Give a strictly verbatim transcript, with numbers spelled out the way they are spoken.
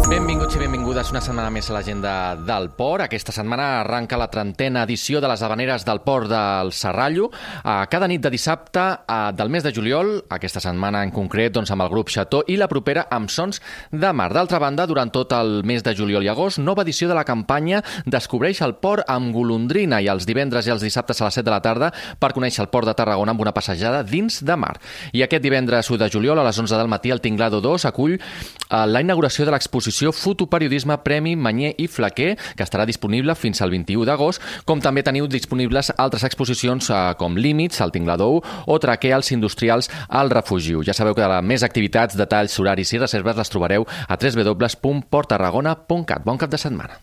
Benvinguts i benvingudes una setmana més a l'agenda del Port. Aquesta setmana arranca la trentena edició de les Havaneres del Port del Serrallo. Cada nit de dissabte del mes de juliol, aquesta setmana en concret doncs, amb el grup Chateau, i la propera amb Sons de Mar. D'altra banda, durant tot el mes de juliol i agost, nova edició de la campanya Descobreix el Port amb golondrina, i els divendres i els dissabtes a les set de la tarda per conèixer el Port de Tarragona amb una passejada dins de mar. I aquest divendres u de juliol a les onze del matí el Tinglado dos acull la inauguració de l'exposició Fotoperiodisme Premi Manyer i Flaquer, que estarà disponible fins al vint-i-u d'agost, com també teniu disponibles altres exposicions eh, com Límits, al Tinglado u, o Traqueals Industrials al Refugiu. Ja sabeu que de més activitats, detalls, horaris i reserves les trobareu a w w w punt port tarragona punt cat. Bon cap de setmana.